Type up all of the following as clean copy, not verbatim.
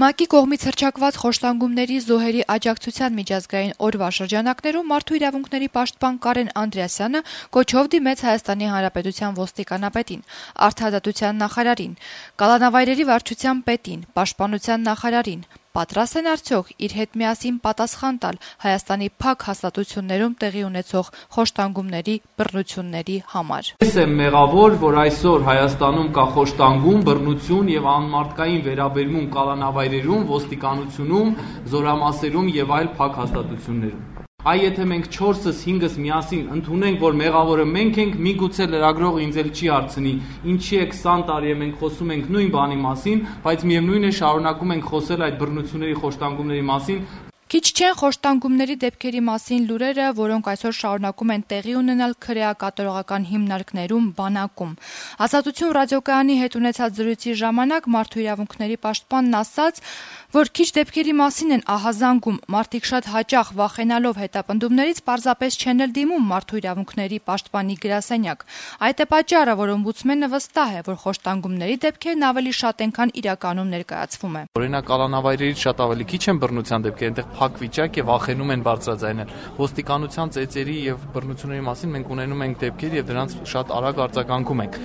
ՄԱԿ-ի կողմից հռչակված խոշտանգումների զոհերի աջակցության միջազգային օրվա շրջանակներում մարդու իրավունքների պաշտպան Կարեն Անդրեասյանը կոչով դիմեց Հայաստանի Հանրապետության ոստիկանապետին, արդարադատության նախարարին, կալանավայրերի վարչության պետին, պաշտպանության նախարարին. պատրաստ են արդյոք իր հետ միասին պատասխան տալ Հայաստանի փակ հաստատություններում տեղի ունեցող խոշտանգումների, բռնությունների համար։ Ես եմ մեղավոր, որ այսօր Հայաստանում կա խոշտանգում, բռնություն եւ անմարդկային վերաբերմունք կալանավայրերում, ոստիկանությունում, զորամասերում եւ այլ փակ հաստատություններում։ Այ եթե մենք 4-ս 5-ս միասին ընդունենք, որ մեղավորը մենք ենք, միգուցե լրագրողը ինձ էլ չի հարցնի, ինչի է 20 տարի է մենք խոսում ենք նույն բանի մասին, բայց միևնույն է շարունակում ենք խոսել այդ բռնությունների, խոշտանգումների մասին։ Քիչ չեն խոշտանգումների դեպքերի մասին լուրերը, որոնք այսօր շարունակում են տեղի ունենալ քրեակատորողական հիմնարկներում, բանակում։ Ազատություն ռադիոկայանի հետ ունեցած զրույցի ժամանակ մարդու իրավունքների պաշտպանն ասաց, որ քիչ դեպքերի մասին են ահազանգում, մարդիկ շատ հաճախ վախենալով հետապնդումներից պարզապես չեն էլ դիմում մարդու իրավունքների պաշտպանի գրասենյակ։ Այդ է պատճառը, որ օմբուդսմենը վստահ է, որ խոշտանգումների դեպքերն ավելի շատ են, քան իրականում ներկայացվում է։ Օրինակ կալանավայրերից շատ ավելի քիչ են բռնության դեպքեր, այնտեղ փակ վիճակ է, վախենում են բարձրաձայնել։ Ոստիկանության ծեծերի եւ բռնությունների մասին մենք ունենում ենք դեպքեր եւ դրանց շատ արագ արձագանքում ենք։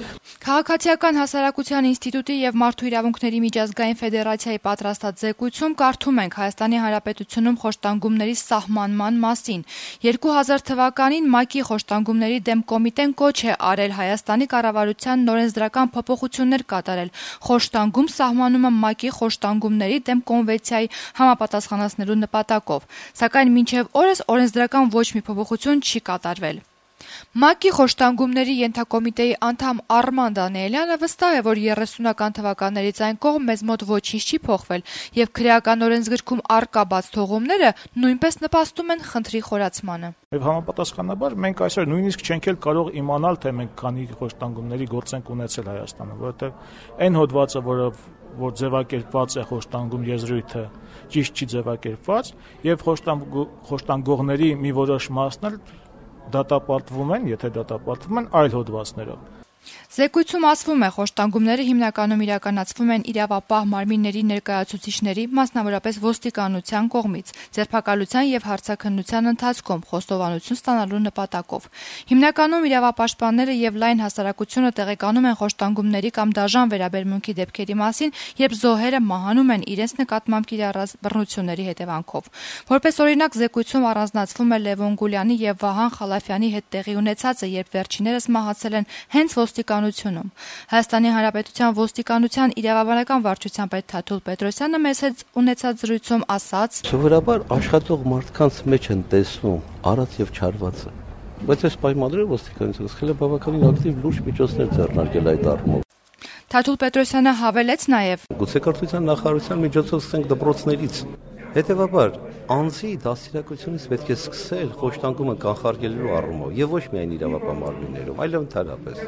Քաղաքացիական հասարակության ինստիտուտի եւ Մարդու իրավունքների միջազգային ֆեդերացիայի պատրաստած զեկույցում կարդում ենք Հայաստանի Հանրապետությունում խոշտանգումների սահմանման մասին։ 2000 թվականին ՄԱԿ-ի խոշտանգումների դեմ կոմիտեն կոչ է արել Հայաստանի կառավարությանն օրենսդրական փոփոխություններ կատարել։ Խոշտանգում սահմանումը ՄԱԿ-ի խոշտանգումների դեմ կոնվենցիայի համապատասխանեցնելու նպատակով, սակայն մինչև օրս օրենսդրական ոչ մի փոփոխություն չի կատարվել։ ՄԱԿ-ի խոշտանգումների ենթակոմիտեի անդամ Արման Դանիելյանը վստահ է, որ 30-ական թվականներից այն կողմ մեզ մոտ ոչինչ չի փոխվել եւ քրեական օրենսգրքում առկա բաց թողումները նույնպես նպաստում են խնդրի խորացմանը։ Եվ համապատասխանաբար մենք այսօր նույնիսկ չենք էլ կարող իմանալ, թե մենք քանի խոշտանգումների գործ ենք ունեցել Հայաստանում, որովհետեւ այն հոդվածը, որ ձևակերպված է խոշտանգում եզրույթը, ճիշտ չի ձևակերպված եւ խոշտանգողների մի որոշ մասն էլ դատապարտվում են, եթե դատապարտվում են այլ հոդվածներով։ Զեկույցում ասվում է, խոշտանգումները հիմնականում իրականացվում են իրավապահ մարմինների ներկայացուցիչների, մասնավորապես ոստիկանության կողմից, ձերբակալության եւ հարցաքննության ընթացքում խոստովանություն ստանալու նպատակով։ Հիմնականում իրավապաշտպանները եւ լայն հասարակությունը տեղեկանում են խոշտանգումների կամ դաժան վերաբերմունքի դեպքերի մասին, երբ զոհերը մահանում են իրենց նկատմամբ կիրառած բռնությունների հետևանքով։ Որպես օրինակ, զեկույցում առանձնացվում է Լևոն Գուլյանի եւ Վահան Խալաֆյանի հետ տեղի ունեցածը, երբ վերջիններս մահացել են հենց ոստիկանությունում։ Հայաստանի Հանրապետության ոստիկանության իրավաբանական վարչության պետ Թաթուլ Պետրոսյանը մեզ հետ ունեցած զրույցում ասաց. Սովորաբար աշխատող մարդկանց մեջ են տեսնում արած եւ չարվածը, բայց այս պայմաններում ոստիկանությունը սկսել է բավականին ակտիվ լուրջ միջոցներ ձեռնարկել այդ առումով։ Թաթուլ Պետրոսյանը հավելեց նաեւ. Գուցեկարչության նախարարության միջոցով սկսենք դպրոցներից։ Հետևաբար, անձի դաստիարակությունից պետք է սկսել խոշտանգումը կանխարգելելու առումով եւ ոչ միայն իրավապահ մարմիններում, այլև ընդհանրապես։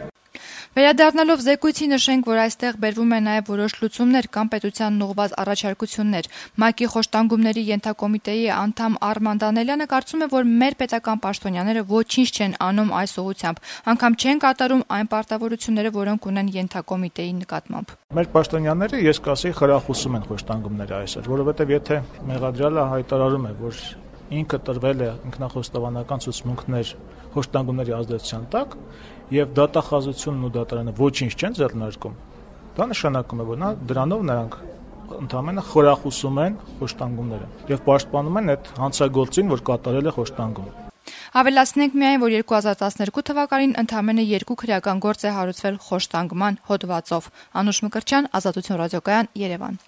Վերադառնալով զեկույցի նշենք, որ այստեղ բերվում է նաև որոշ լուծումներ կամ պետությանն ուղղված առաջարկություններ։ ՄԱԿ-ի խոշտանգումների ենթակոմիտեի անդամ Արման Դանիելյանը կարծում է, որ մեր պետական պաշտոնյաները ոչինչ չեն անում այս ուղղությամբ, անգամ չեն կատարում այն պարտավորությունները, որոնք ունեն ենթակոմիտեի նկատմամբ։ Մեր պաշտոնյաները, ես կասեի, խրախուսում են խոշտանգումները այսօր, որովհետև եթե մեղադրյալը հայտարարում է, որ ինքը տրվել է ինքնախոստովանական ցուցմունքներ խոշտանգումների ազդեցության տակ եւ դատախազությունն ու դատարանը ոչինչ չեն ձեռնարկում, դա նշանակում է, որ դրանով նրանք ընդհանրապես խորախուսում են խոշտանգումները եւ պաշտպանում են այդ հանցագործին, որ կատարել է խոշտանգում։ Ավելացնենք միայն, որ 2012 թվականին ընդամենը 2 քրեական գործ է հարուցվել խոշտանգման հոդվածով։ Անուշ Մկրտչյան, Ազատություն ռադիոկայան, Երևան։